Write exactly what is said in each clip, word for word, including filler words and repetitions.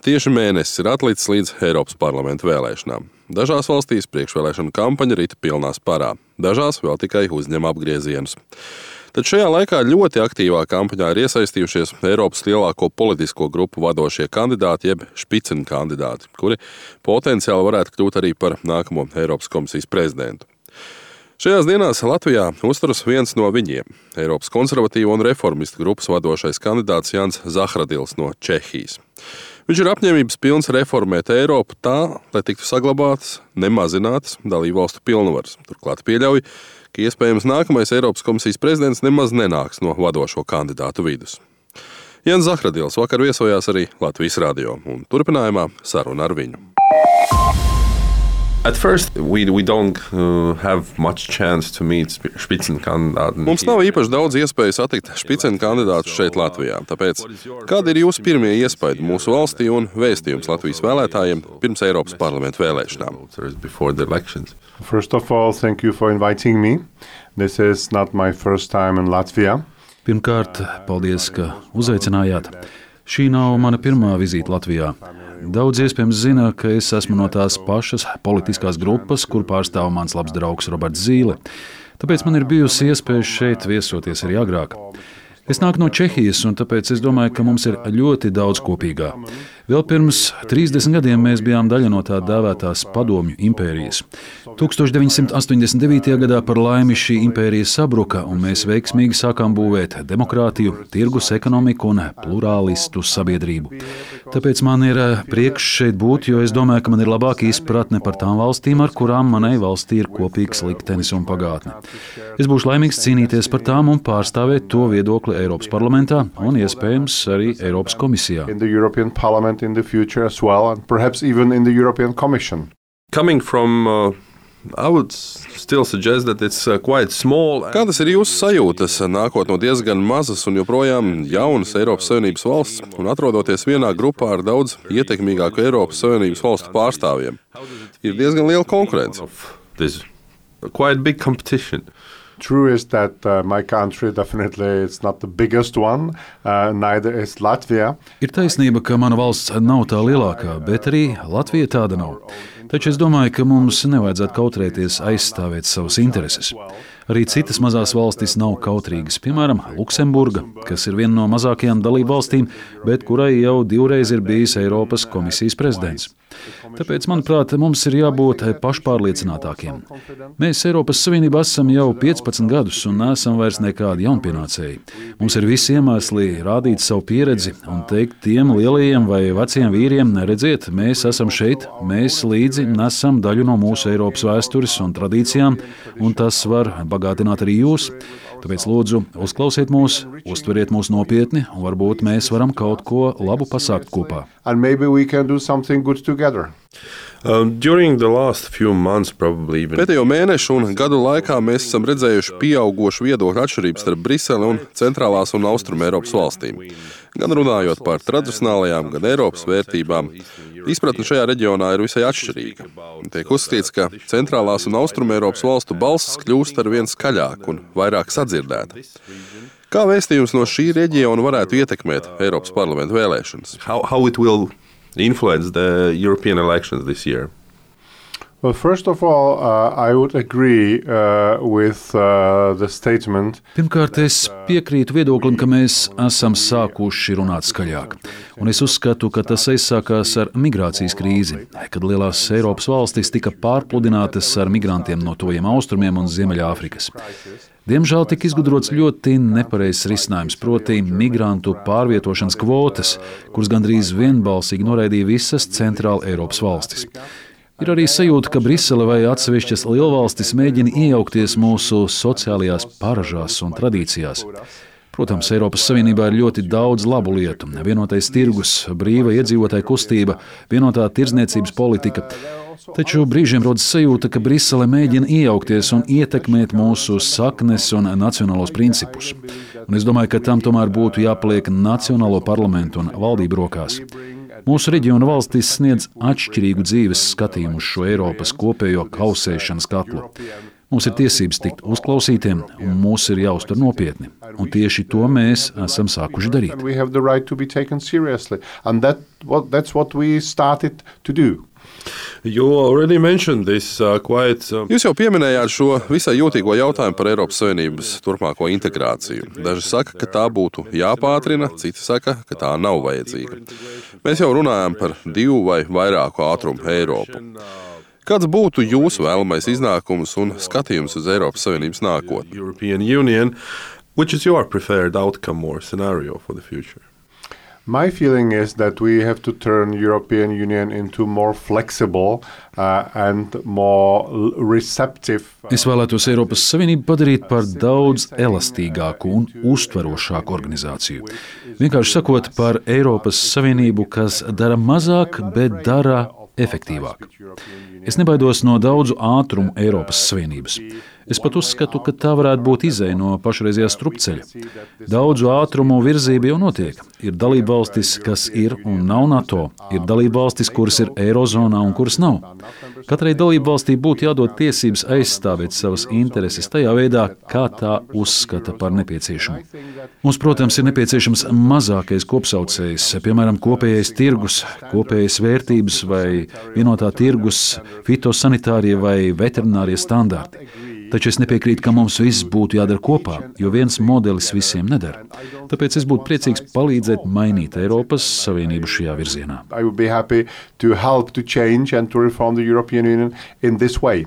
Tieši mēnesis ir atlicis līdz Eiropas parlamenta vēlēšanām. Dažās valstīs priekšvēlēšana kampaņa rita pilnā sparā, dažās vēl tikai uzņem apgriezienus. Tad šajā laikā ļoti aktīvā kampaņā ir iesaistījušies Eiropas lielāko politisko grupu vadošie kandidāti, jeb špicen kandidāti, kuri potenciāli varētu kļūt arī par nākamo Eiropas komisijas prezidentu. Šajās dienās Latvijā uzturas viens no viņiem – Eiropas konservatīvo un reformistu grupas vadošais kandidāts Jānis Zahradils no Čehijas. Viņš ir apņēmības pilns reformēt Eiropu tā, lai tiktu saglabātas, nemazinātas dalībvalstu pilnvaras. Turklāt pieļauj, ka iespējams nākamais Eiropas komisijas prezidents nemaz nenāks no vadošo kandidātu vidus. Jānis Zahradils vakar viesojās arī Latvijas radio, un turpinājumā saruna ar viņu. At first, we, we don't uh, have much chance to meet Spitzenkandidāten. Mums nav īpaši daudz iespēju satikt špicen kandidātus šeit Latvijā. Tāpēc, kādi ir jūsu pirmie iespaidi mūsu valstī un vēstījums Latvijas vēlētājiem pirms Eiropas parlamenta vēlēšanām? First of all, thank you for inviting me. This is not my first time in Latvia. Pirmkārt, paldies, ka uzaicinājāt. Šī nav mana pirmā vizīte Latvijā. Daudz iespējams zina, ka es esmu no tās pašas politiskās grupas, kur pārstāv mans labs draugs Roberts Zīle. Tāpēc man ir bijusi iespēja šeit viesoties arī agrāk. Es nāku no Čehijas, un tāpēc es domāju, ka mums ir ļoti daudz kopīgā. Vēl pirms trīsdesmit gadiem mēs bijām daļa no tā dēvētās Padomju impērijas. tūkstoš deviņi simti astoņdesmit devītajā gadā par laimi šī impērija sabruka, un mēs veiksmīgi sākām būvēt demokrātiju, tirgus ekonomiku un plurālistu sabiedrību. Tāpēc man ir prieks šeit būt, jo es domāju, ka man ir labāka izpratne par tām valstīm, ar kurām manai valstī ir kopīgs liktenis un pagātne. Es būšu laimīgs cīnīties par tām un pārstāvēt to viedokli Eiropas parlamentā un iespējams arī Eiropas komisijā. In the future as well, and perhaps even in the European Commission. Coming from, uh, I would still suggest that it's uh, quite small. Kādas ir jūsu sajūtas, nākot no diezgan mazas un joprojām jaunas Eiropas Savienības valsts un atrodoties vienā grupā ar daudz ietekmīgāku Eiropas Savienības valstu pārstāvjiem? Ir diezgan liela konkurence. There's quite big competition. True is that uh, my country definitely is not the biggest one, uh, neither is Latvia. Ir taisnība, ka mana valsts nav tā lielākā, bet arī Latvija tāda nav. Taču es domāju, ka mums nevajadzētu kautrēties aizstāvēt savas intereses. Arī citas mazās valstis nav kautrīgas, piemēram, Luksemburga, kas ir viena no mazākajām dalību valstīm, bet kurai jau divreiz ir bijis Eiropas komisijas prezidents. Tāpēc, manuprāt, mums ir jābūt pašpārliecinātākiem. Mēs Eiropas Savienībā esam jau piecpadsmit gadus un neesam vairs nekādi jaunpienācēji. Mums ir visi iemesli rādīt savu pieredzi un teikt tiem lielajiem vai veciem vīriem, redziet, mēs esam šeit, mēs līdzi nesam daļu no mūsu Eiropas vēstures un tradīcijām, un tas var bagātināt arī jūs. Tāpēc lūdzu, uzklausiet mūs, uztveriet mūs nopietni, un varbūt mēs varam kaut ko labu pasākt kopā. And maybe we can do something good together. Um, during the last few months, probably even. Pēdējo mēnešu un gadu laikā mēs esam redzējuši pieaugošu viedokļu atšķirības starp Briseli un centrālās un austrumu Eiropas valstīm. Gan runājot par tradicionālajām, gan Eiropas vērtībām, izpratne šajā reģionā ir visai atšķirīga. Tiek uzskatīts, ka centrālās un austrumu Eiropas valstu balsis kļūst ar vien skaļāk un vairāk sadzirdēta. Kā vēstījums no šī reģiona varētu ietekmēt Eiropas parlamenta vēlēšanas? How, how it will influence the European elections this year? Well, first of all, uh, I would agree uh, with uh, the statement. Pirmkārt, es piekrītu viedoklim, ka mēs esam sākuši runāt skaļāk. Un es uzskatu, ka tas aizsākās ar migrācijas krīzi, kad lielās Eiropas valstis tika pārpludinātas ar migrantiem no tojiem austrumiem un Ziemeļāfrikas. Diemžēl tika izgudrots ļoti nepareizs risinājums, proti migrantu pārvietošanas kvotas, kuras gandrīz vienbalsīgi noraidīja visas centrāla Eiropas valstis. Ir arī sajūta, ka Brisele vai atsevišķas lielvalstis mēģina iejaukties mūsu sociālajās paražās un tradīcijās. Protams, Eiropas Savienībā ir ļoti daudz labu lietu. Vienotais tirgus, brīva iedzīvotāja kustība, vienotā tirdzniecības politika. Taču brīžiem rodas sajūta, ka Brisele mēģina iejaukties un ietekmēt mūsu saknes un nacionālos principus. Un es domāju, ka tam tomēr būtu jāpaliek nacionālo parlamentu un valdību rokās. Mūsu reģiona valstis sniedz atšķirīgu dzīves skatījumu uz šo Eiropas kopējo kausēšanas katlu. Mums ir tiesības tikt uzklausītiem, un mūs ir jāuztver nopietni. Un tieši to mēs esam sākuši darīt. We have the right to be taken seriously, and that what that's what we started to do. You already mentioned this uh, quite. Uh, Jūs jau pieminējāt šo visai jūtīgo jautājumu par Eiropas Savienības turpmāko integrāciju. Daži saka, ka tā būtu jāpātrina, citi saka, ka tā nav vajadzīga. Mēs jau runājam par divu vai vairāku ātrumu Eiropu. Kāds būtu jūsu vēlamais iznākums un skatījums uz Eiropas Savienības nākotni? European Union, which is your preferred outcome or scenario for the future? My feeling is that we have to turn European Union into more flexible uh, and more receptive. Es vēlētos Eiropas Savienību padarīt par daudz elastīgāku un uztverošāku organizāciju. Vienkārši sakot, par Eiropas Savienību, kas dara mazāk, bet dara efektīvāk. Es nebaidos no daudzu ātrumu Eiropas Savienības. Es pat uzskatu, ka tā varētu būt izeja no pašreizējā strupceļa. Daudzu ātrumu virzība jau notiek. Ir dalībvalstis, kas ir un nav NATO. Ir dalībvalstis, kuras ir Eirozonā un kuras nav. Katrai dalībvalstī būtu jādod tiesības aizstāvēt savas intereses tajā veidā, kā tā uzskata par nepieciešamu. Mums, protams, ir nepieciešams mazākais kopsaucējs, piemēram, kopējais tirgus, kopējas vērtības vai vienotā tirgus, fitosanitārie vai veterinārie standarti. Taču es nepiekrītu, ka mums viss būtu jādara kopā, jo viens modelis visiem nedara. Tāpēc es būtu priecīgs palīdzēt mainīt Eiropas Savienību šajā virzienā. I would be happy to help to change and to reform the European Union in this way.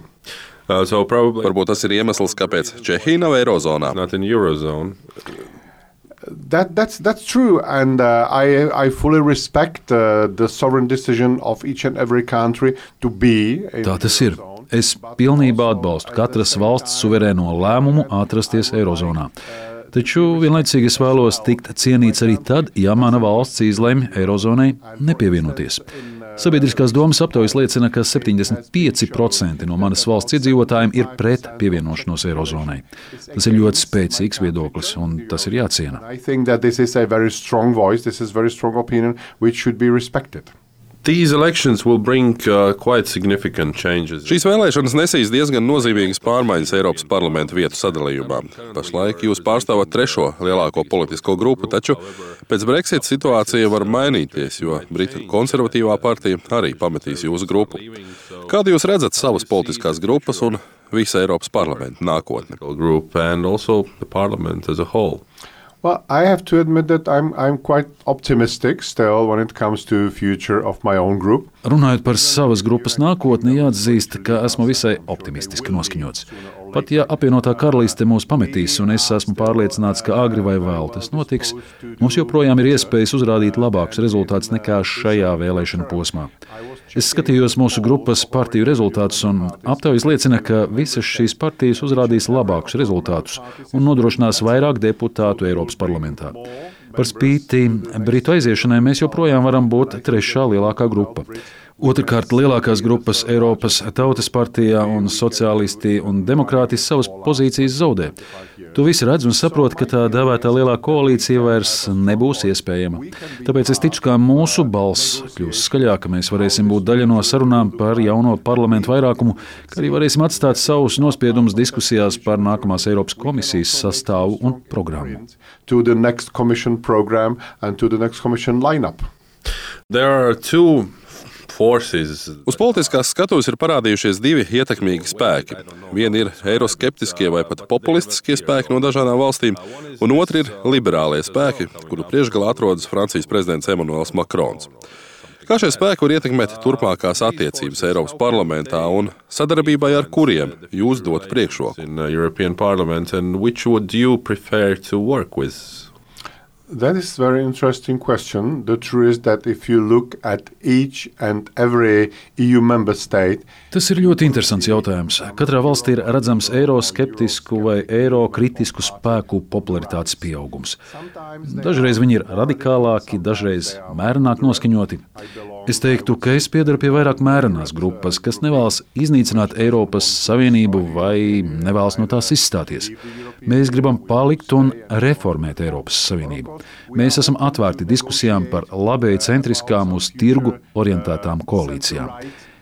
Uh, so probably Varbūt tas ir iemesls, kāpēc Čehija nav Eirozonā. not in Eurozone. That that's that's true, and uh, I I fully respect uh, the sovereign decision of each and every country to be. in Tā tas ir. the Eurozone. Es pilnībā atbalstu katras valsts suverēno lēmumu atrasties Eirozonā. Taču vienlaicīgi es vēlos tikt cienīts arī tad, ja mana valsts izlemj Eirozonai nepievienoties. Sabiedriskās domas aptaujas liecina, ka septiņdesmit pieci procenti no manas valsts iedzīvotājiem ir pret pievienošanos Eirozonai. Tas ir ļoti spēcīgs viedoklis, un tas ir jāciena. I think that this is a very strong voice. This is very strong opinion, which should be respected. These elections will bring uh, quite significant changes. Šīs vēlēšanas nesīs diezgan nozīmīgas pārmaiņas Eiropas parlamenta vietu sadalījumā. Pašlaik jūs pārstāvat trešo lielāko politisko grupu, taču pēc Brexit situācija var mainīties, jo Britu konservatīvā partija arī pametīs jūsu grupu. Kādu jūs redzat savas politiskās grupas un visa Eiropas parlamenta nākotni? Group and also the parliament as a whole. Well, I have to admit that I'm I'm quite optimistic still when it comes to future of my own group. Runājot par savas grupas nākotni, jāatzīst, ka esmu visai optimistiski noskaņots. Pat ja apvienotā karaliste mūs pametīs, un es esmu pārliecināts, ka agri vai vēl tas notiks, mums joprojām ir iespējas uzrādīt labākus rezultātus nekā šajā vēlēšana posmā. Es skatījos mūsu grupas partiju rezultātus, un aptaujas liecina, ka visas šīs partijas uzrādīs labākus rezultātus un nodrošinās vairāk deputātu Eiropas parlamentā. Par spīti Britu aiziešanai mēs joprojām varam būt trešā lielākā grupa. Otrakārt, lielākās grupas Eiropas Tautas partijā un sociālisti un demokrāti savas pozīcijas zaudē. Tu visi redz un saprot, ka tā dēvētā lielā koalīcija vairs nebūs iespējama. Tāpēc es ticu, ka mūsu balss kļūs skaļāka, mēs varēsim būt daļa no sarunām par jauno parlamentu vairākumu, kā arī varēsim atstāt savus nospiedumus diskusijās par nākamās Eiropas komisijas sastāvu un programmu. To the next commission program and to the next commission lineup. There are two forces. Uz politiskās skatuves ir parādījušies divi ietekmīgi spēki. Vieni ir eiroskeptiskie vai pat populistiskie spēki no dažādām valstīm, un otri ir liberālie spēki, kuru priekšgalā atrodas Francijas prezidents Emmanuels Macrons. Kā šie spēki var ietekmēt turpmākās attiecības Eiropas parlamentā un sadarbībai ar kuriem jūs dotu priekšroku? In the European Parliament, and which would you prefer to work with? That is a very interesting question. The truth is that if you look at each and every E U member state, Tas ir ļoti interesants jautājums. Katrā valstī ir redzams eiroskeptisku vai eirokritisku spēku popularitātes pieaugums. Dažreiz viņi ir radikālāki, dažreiz mērenāk noskaņoti. Es teiktu, ka es piedaru pie vairāk mērenās grupas, kas nevēlas iznīcināt Eiropas Savienību vai nevēlas no tās izstāties. Mēs gribam palikt un reformēt Eiropas Savienību. Mēs esam atvērti diskusijām par labēji centriskām uz tirgu orientētām koalīcijām.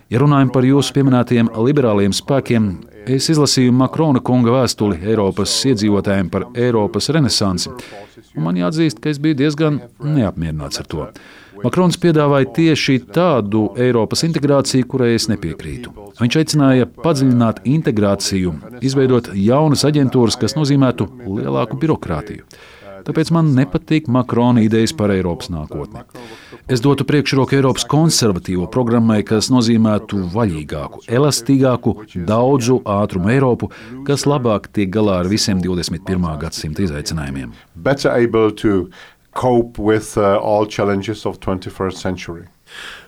Ja runājam par jūsu pieminētajiem liberāliem spēkiem, es izlasīju Makrona kunga vēstuli Eiropas iedzīvotājiem par Eiropas renesansi, un man jāatzīst, ka es biju diezgan neapmierināts ar to. Makrons piedāvāja tieši tādu Eiropas integrāciju, kurai es nepiekrītu. Viņš aicināja padziļināt integrāciju, izveidot jaunas aģentūras, kas nozīmētu lielāku birokrātiju. Tāpēc man nepatīk Makrona idejas par Eiropas nākotni. Es dotu priekšroku Eiropas konservatīvo programmai, kas nozīmētu vaļīgāku, elastīgāku, daudzu ātrumu Eiropu, kas labāk tiek galā ar visiem divdesmit pirmā gadsimta izaicinājumiem. Better able to cope with uh, all challenges of twenty-first century.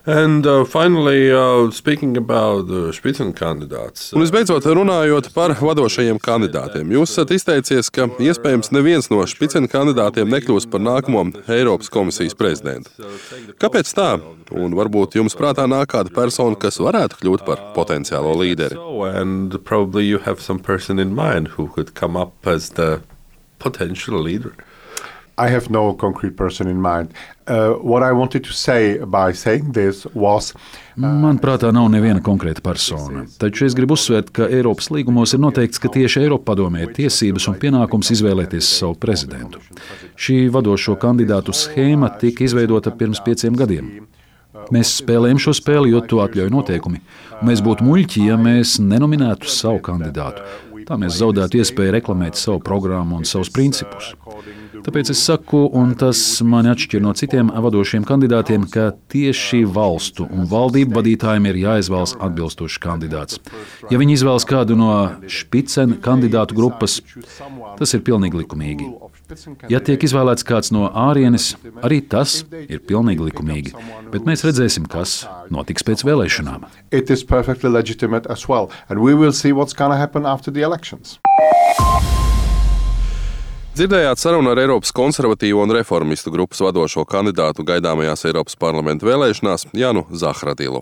And uh, finally, uh, speaking about the Spitzenkandidāts. Un visbeidzot, runājot par vadošajiem kandidātiem, jūs esat izteicies, ka iespējams neviens no Spitzenkandidātiem nekļūs par nākamo Eiropas komisijas prezidentu. Kāpēc tā? Un varbūt jums prātā nāk kāda persona, kas varētu kļūt par potenciālo līderi. So, and probably you have some person in mind who could come up as the potential leader. I have no concrete person in mind. Uh, what I wanted to say by saying this was... Man prātā nav neviena konkrēta persona, taču es gribu uzsvērt, ka Eiropas līgumos ir noteikts, ka tieši Eiropadomē ir tiesības un pienākums izvēlēties savu prezidentu. Šī vadošo kandidātu schēma tika izveidota pirms pieciem gadiem. Mēs spēlējam šo spēli, jo to atļauj noteikumi. Mēs būtu muļķi, ja mēs nenominētu savu kandidātu. Tā mēs zaudētu iespēju reklamēt savu programmu un savus principus. Tāpēc es saku, un tas mani atšķir no citiem vadošiem kandidātiem, ka tieši valstu un valdību vadītājiem ir jāizvēlas atbilstošs kandidāts. Ja viņi izvēlas kādu no Spicen kandidātu grupas, tas ir pilnīgi likumīgi. Ja tiek izvēlēts kāds no ārienes, arī tas ir pilnīgi likumīgi. Bet mēs redzēsim, kas notiks pēc vēlēšanām. It is perfectly legitimate as well, and we will see what's going to happen after the elections. Dzirdējāt sarunu ar Eiropas konservatīvo un reformistu grupas vadošo kandidātu gaidāmajās Eiropas parlamenta vēlēšanās Janu Zahradilu.